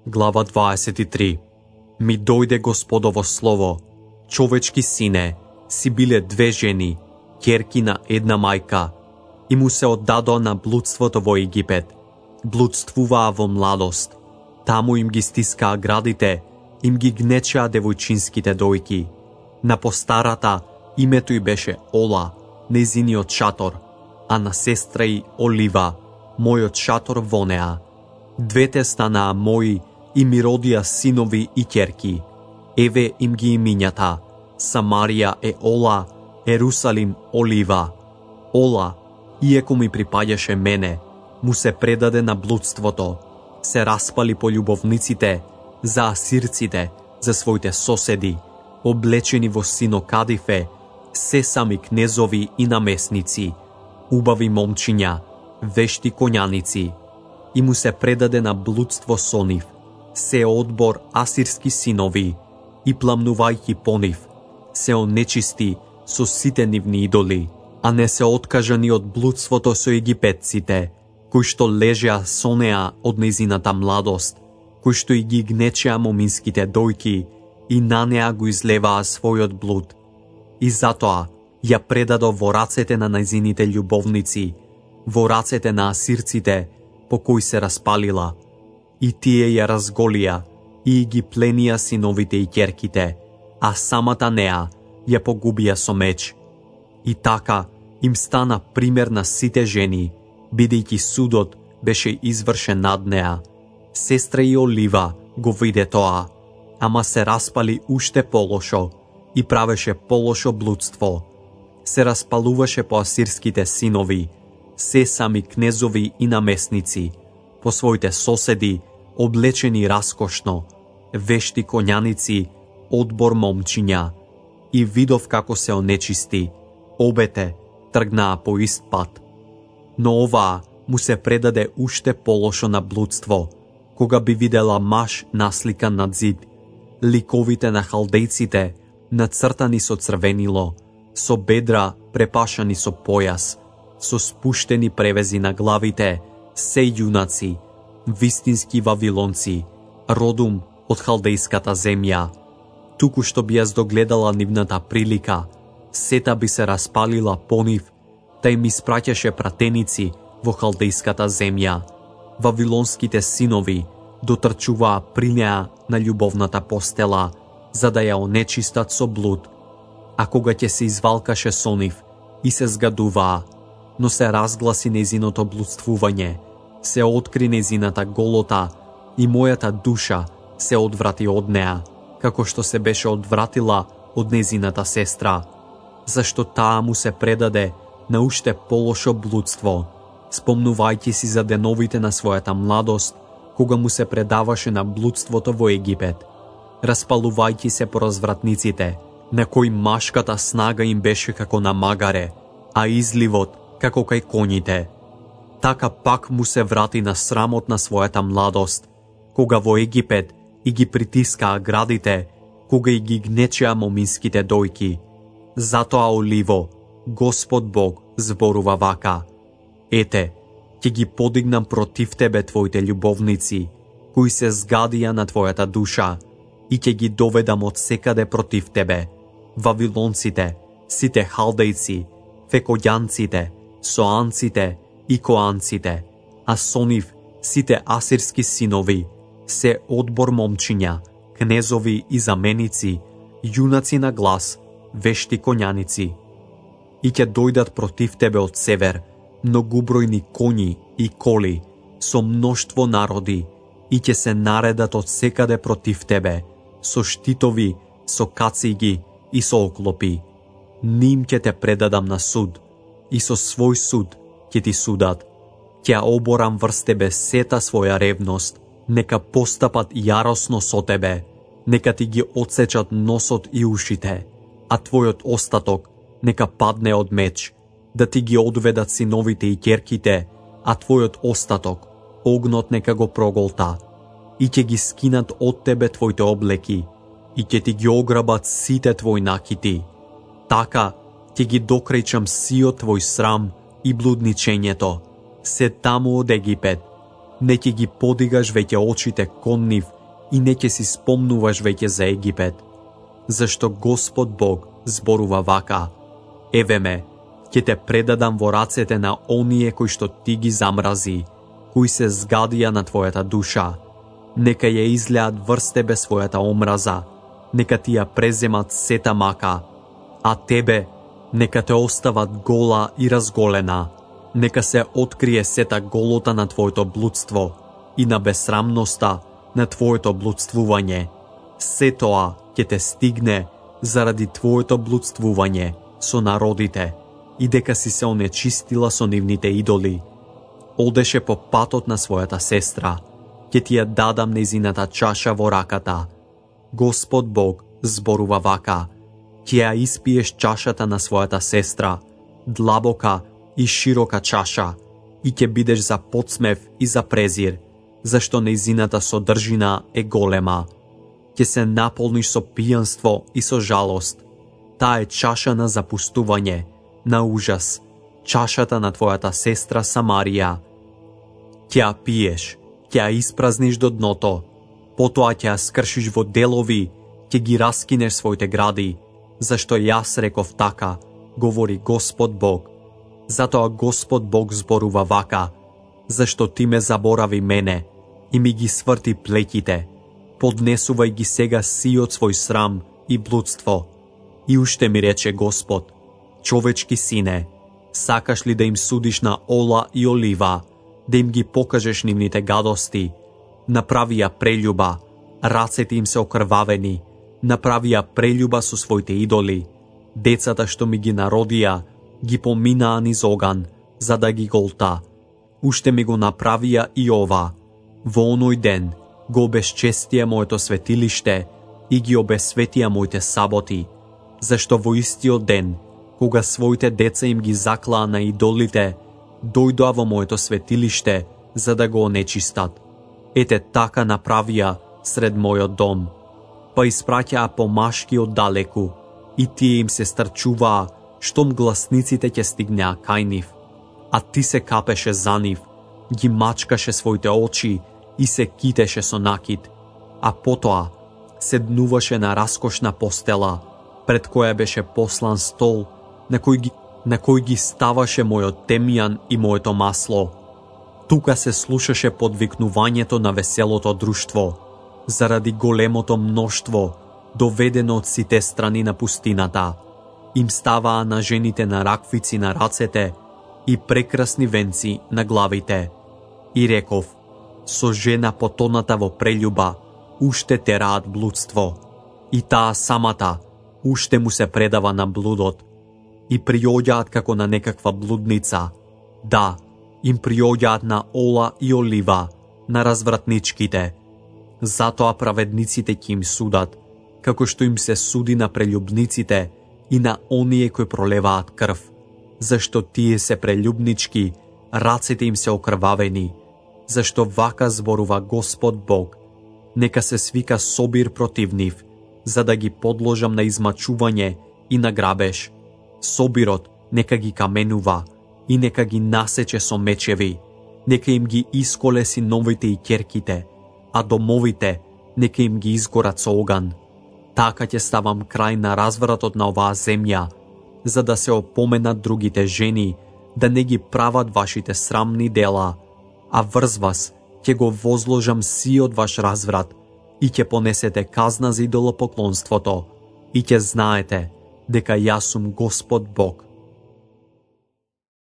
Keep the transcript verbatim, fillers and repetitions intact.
Глава дваесет и три. Ми дојде Господово слово: човечки сине, си биле две жени, ќерки на една мајка, и му се оддадоа на блудството во Египет. Блудствуваа во младост. Таму им ги стискаа градите, им ги гнечеа девојчинските дојки. На постарата името й беше Ола, незиниот шатор, а на сестра й Олива, мојот шатор во неа. Двете станаа мои и ми родија синови и ќерки. Еве им ги имињата: Самарија е Ола, Ерусалим Олива. Ола, иеко ми припаѓаше мене, му се предаде на блудството, се распали по љубовниците, за асирците, за своите соседи, облечени во синокадифе, се сами кнезови и намесници, убави момчиња, вешти коњаници, и му се предаде на блудство со нив, се одбор асирски синови, и пламнувајќи по нив, се онечисти со сите нивни идоли, а не се откажа ни од блудството со египетците, кои што лежеа со неа од незината младост, кои што и ги гнечеа моминските дојки и на неа го излеваа својот блуд. И затоа ја предадо во рацете на незините љубовници, во рацете на асирците, по кои се распалила, и тие ја разголија и ги пленија синовите и ќерките, а самата неа ја погубија со меч. И така им стана пример на сите жени, бидејќи судот беше извршен над неа. Сестра и Олива го виде тоа, ама се распали уште полошо и правеше полошо блудство. Се распалуваше по асирските синови, се сами кнезови и намесници, по своите соседи, облечени раскошно, вешти коњаници, одбор момчиња, и видов како се онечисти, обете тргнаа по ист пат. Но оваа му се предаде уште полошо на блудство, кога би видела маж насликан над зид, ликовите на халдејците нацртани со црвенило, со бедра препашани со појас, со спуштени превези на главите, се јунаци, вистински вавилонци, родум од халдејската земја. Туку што би ја здогледала нивната прилика, сета би се распалила по нив, та им испраќаше пратеници во халдејската земја. Вавилонските синови дотрчуваа при неа на љубовната постела, за да ја онечистат со блуд. А кога ќе се извалкаше со нив и се згадуваа, но се разгласи незиното блудствување, се откри незината голота и мојата душа се одврати од неа, како што се беше одвратила од незината сестра, зашто таа му се предаде на уште полошо блудство, спомнувајќи си за деновите на својата младост, кога му се предаваше на блудството во Египет, распалувајќи се по развратниците, на кои машката снага им беше како на магаре, а изливот како кај коњите. Така пак му се врати на срамот на својата младост, кога во Египет и ги притискаа градите, кога и ги гнечеа моминските дојки. Затоа Оливо, Господ Бог зборува вака: ете, ќе ги подигнам против тебе твоите љубовници, кои се згадија на твојата душа, и ќе ги доведам од секаде против тебе, вавилонците, сите халдејци, фекојанците, соанците и коанците, а со нив сите асирски синови, се одбор момчиња, кнезови и заменици, јунаци на глас, вешти коњаници. И ќе дојдат против тебе од север многубројни коњи и коли, со мноштво народи, и ќе се наредат од секаде против тебе, со штитови, со кациги и со оклопи. Ним ќе те предадам на суд, и со свој суд ќе ти судат. Ќе оборам врз тебе сета своја ревност, нека постапат јаросно со тебе, нека ти ги отсечат носот и ушите, а твојот остаток нека падне од меч, да ти ги одведат синовите и ќерките, а твојот остаток огнот нека го проголта, и ќе ги скинат од тебе твоите облеки, и ќе ти ги ограбат сите твои накити. Така ќе ги докрејчам сиот твој срам и блудничењето, се таму од Египет, Не ќе ги подигаш веќе очите кон нив и не ќе си спомнуваш веќе за Египет. Зашто Господ Бог зборува вака: еве ме, ќе те предадам во рацете на оние кои што ти ги замрази, кои се згадија на твојата душа. Нека ја излеат врз тебе својата омраза, нека ти ја преземат сета мака, а тебе нека те остават гола и разголена. Нека се открие сета голота на твоето блудство и на безсрамноста на твоето блудствување. Се тоа ќе те стигне заради твоето блудствување со народите и дека си се онечистила со нивните идоли. Одеше по патот на својата сестра, ќе ти ја дадам нејзината чаша во раката. Господ Бог зборува вака: ќе ја испиеш чашата на својата сестра, длабока и широка чаша, и ќе бидеш за подсмев и за презир, зашто нејзината содржина е голема. Ќе се наполниш со пијанство и со жалост. Таа е чаша на запустување, на ужас, чашата на твојата сестра Самарија. Ќе ја пиеш, ќе ја испразниш до дното, потоа ќе ја скршиш во делови, ќе ги раскинеш своите гради, зашто јас реков така, говори Господ Бог. Затоа Господ Бог зборува вака: зашто ти ме заборави мене и ми ги сврти плеќите, поднесувај ги сега сиот свој срам и блудство. И уште ми рече Господ: човечки сине, сакаш ли да им судиш на Ола и Олива, да им ги покажеш нивните гадости? Направија прељуба, рацете им се окрвавени, направија прељуба со своите идоли. Децата што ми ги народија, ги поминаа низ оган, за да ги голта. Уште ми го направија и ова. Во оној ден го обесчестија моето светилиште и ги обесветија моите саботи, зашто во истиот ден, кога своите деца им ги заклаа на идолите, дојдоа во моето светилиште за да го онечистат. Ете така направија сред мојот дом. Па испраќаа помашки од далеку, и тие им се старчуваа, штом гласниците ќе стигнеа кај нив. А ти се капеше за нив, ги мачкаше своите очи и се китеше со накид. А потоа седнуваше на раскошна постела, пред која беше послан стол, на кој ги, на кој ги ставаше мојот темјан и моето масло. Тука се слушаше подвикнувањето на веселото друштво, заради големото мноштво, доведено од сите страни на пустината. Им ставаа на жените на раквици на рацете и прекрасни венци на главите. И реков: со жена потоната во прељуба, уште тераат блудство, и таа самата уште му се предава на блудот. И приоѓаат како на некаква блудница. Да, им приоѓаат на Ола и Олива, на развратничките. Затоа праведниците ќе им судат, како што им се суди на прељубниците и на оние кои пролеваат крв, зашто тие се прељубнички, рацете им се окрвавени. Зашто вака зборува Господ Бог: нека се свика собир против нив, за да ги подложам на измачување и на грабеж. Собирот нека ги каменува и нека ги насече со мечеви, нека им ги исколе синовите и ќерките, а домовите нека им ги изгорат со оган. Така ќе ставам крај на развратот на оваа земја, за да се опоменат другите жени да не ги прават вашите срамни дела, а врз вас ќе го возложам сиот ваш разврат и ќе понесете казна за идолопоклонството и ќе знаете дека јас сум Господ Бог.